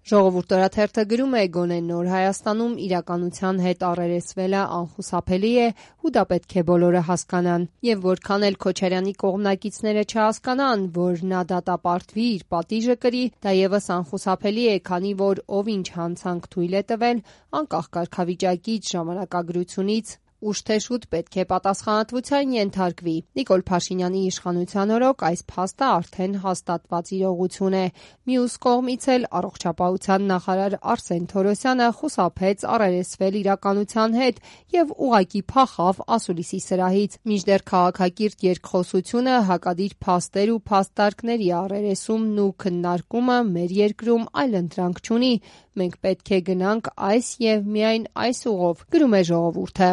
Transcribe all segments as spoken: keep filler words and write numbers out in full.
Ժողովուրդ օրաթերթը գրում է. գոնե նոր Հայաստանում իրականության հետ առերեսվելը անխուսափելի է ու դա պետք է բոլորը հասկանան։ Եվ որքան էլ Քոչարյանի կողմնակիցները չհասկանան, որ նա դատապարտվի, իր պատիժը կրի, դա ևս անխուսափելի է, քանի որ ով ինչ հանցանք թույլ է տվել, անկախ կարգավիճակից, ժամանակագրությունից, ուշ թե շուտ պետք է պատասխանատվության ենթարկվի։ Նիկոլ Փաշինյանի իշխանության օրոք այս փաստը արդեն հաստատված իրողություն է։ Մյուս կողմից էլ առողջապահության նախարար Արսեն Թորոսյանը խուսափեց առերեսվել իրականության հետ եւ ուղղակի փախավ ասուլիսի սրահից։ Մինչդեռ քաղաքակիրթ երկխոսությունը, հակադիր փաստեր ու փաստարկների առերեսումն ու քննարկումը մեր երկրում այլընտրանք չունի։ Մենք պետք է գնանք այս եւ միայն այս ուղով, գրում է Ժողովուրդը։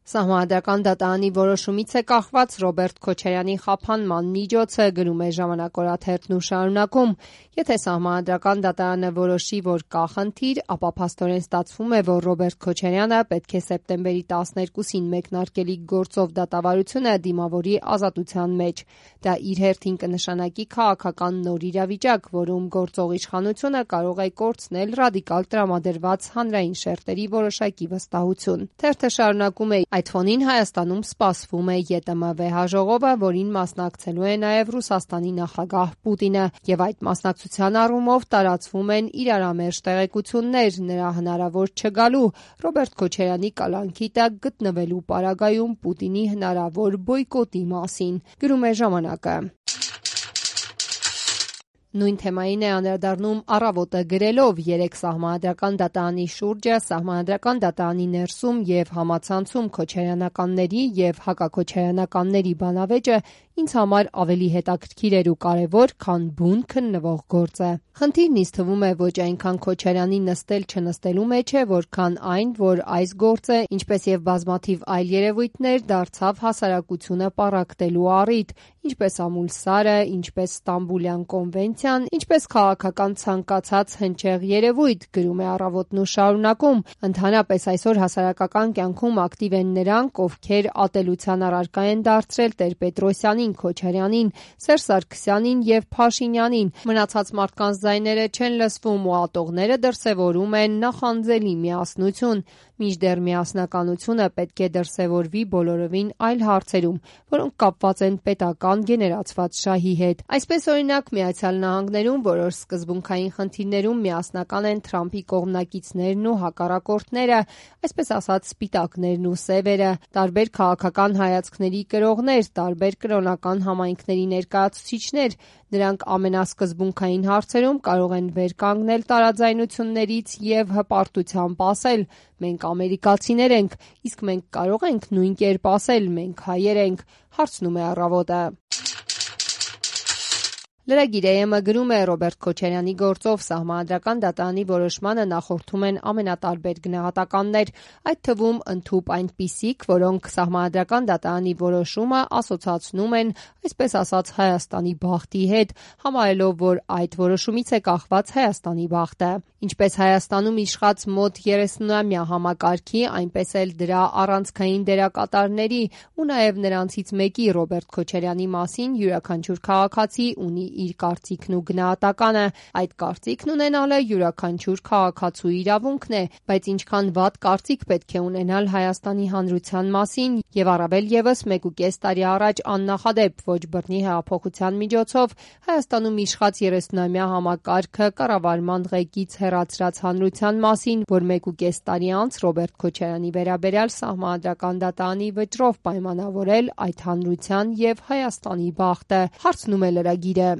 Սահմանադրական դատարանի որոշումից է կախված Ռոբերտ Քոչարյանի խափանման միջոցը, գրում է Ժամանակ օրաթերթն ու շարունակում. Եթե Սահմանադրական դատարանը որոշի, որ կա խնդիր, ապա փաստորեն ստացվում է, որ Ռոբերտ Քոչարյանը պետք է սեպտեմբերի տասներկուսին մեկնարկելիք գործով դատավարությունը դիմավորի ազատության մեջ։ Դա իր հերթին կնշանակի քաղաքական նոր իրավիճակ, որում գործող իշխանությունը կարող է կորցնել ռադիկալ տրամադրված հանրային շերտերի որոշակի վստահություն։ Թերթը շարունակում է. այդ ֆոնին Հայաստանում սպասվում է ԵՏՄ վեհաժողովը, որին մասնակցելու է նաև Ռուսաստանի նախագահ Պուտինը, եւ այդ մասնակցության առումով տարածվում են իրարամերժ տեղեկություններ նրա հնարավոր չգալու, Ռոբերտ Քոչարյանի կալանքի տակ գտնվելու պարագայում Պուտինի հնարավոր բոյկոտի մասին, գրում է Ժամանակը։ Նույն թեմային է անդրադառնում Առավոտը գրելով. երեք Սահմանադրական դատարանի շուրջը, Սահմանադրական դատարանի ներսում եւ համացանցում քոչարյանականների եւ հակաքոչարյանականների բանավեճը ինձ համար ավելի հետաքրքիր էր ու կարևոր, քան բուն քննվող գործը։ Խնդիրն ինձ թվում է ոչ այնքան Քոչարյանի նստել-չնստելու մեջ է, որքան այն, որ այս գործը, ինչպես եւ բազմաթիվ այլ երևույթներ, դարձավ հասարակությունը պառակտելու առիթ, ինչպես Ամուլսարը, ինչպես Ստամբուլյան կոնվենցիան, ինչպես քաղաքական ցանկացած հնչեղ երևույթ, գրում է Առավոտն ու շարունակում։ Ընդհանրապես այսօր հասարակական կյանքում ակտիվ են նրանք, ովքեր ատելության առարկա են դարձրել Տեր-Պետրոսյանին, Քոչարյանին, Սերժ Սարգսյանին եւ Փաշինյանին։ Մնացած մարդկանց ձայները չեն լսվում ու ատողները դրսևորում են նախանձելի միասնություն։ Մինչդեռ միասնականությունը պետք է դրսևորվի բոլորովին այլ հարցերում, որոնք կապված են պետական գեներացված շահի հետ։ Այսպես օրինակ Միացյալ Նահանգներում որոշ սկզբունքային խնդիրներում միասնական են Թրամփի կողմնակիցներն ու հակառակորդները, այսպես ասած սպիտակներն ու սևերը, տարբեր քաղաքական հայացքների կրողներ, տարբեր կրոնական համայնքների ներկայացուցիչներ, նրանք ամենասկզբունքային հարցերում կարող են վեր կանգնել տարաձայնություններից եւ հպարտությամբ ասել. մենք ամերիկացիներ ենք, իսկ մենք կարող ենք նույն կերպ ասել, մենք հայեր ենք, հարցնում է Առավոտը։ Լրագիր.am-ը գրում է. Ռոբերտ Քոչարյանի գործով Սահմանադրական դատարանի որոշմանը նախորդում են ամենատարբեր գնահատականներ, այդ թվում ընդհուպ այնպիսիք, որոնք Սահմանադրական դատարանի որոշումը ասոցացնում են, այսպես ասած, Հայաստանի բախտի հետ, համարելով, որ այդ որոշումից է կախված Հայաստանի բախտը։ Ինչպես Հայաստանում իշխած մոտ երեսունամյա համակարգի, այնպես էլ դրա առանցքային դերակատարների ու նաև նրանցից մեկի Ռոբերտ Քոչարյանի մասին յուրաքանչյուր քաղաքացի ունի իր կարծիքն ու գնահատականը։ Այդ կարծիքն ունենալը յուրաքանչյուր քաղաքացու իրավունքն է, բայց ինչքան վատ կարծիք պետք է ունենալ Հայաստանի հանրության մասին եւ առավել եւս մեկուկես տարի առաջ աննախադեպ ոչ բռնի հեղափոխության միջոցով Հայաստանում իշխած երեսունամյա համակարգը կառավարման ղեկից հեռացրած հանրության մասին, որ մեկուկես տարի անց Ռոբերտ Քոչարյանի վերաբերյալ Սահմանադրական դատարանի վճռով պայմանավորել այդ հանրության եւ Հայաստանի բախտը, հարցնում է լրագիրը։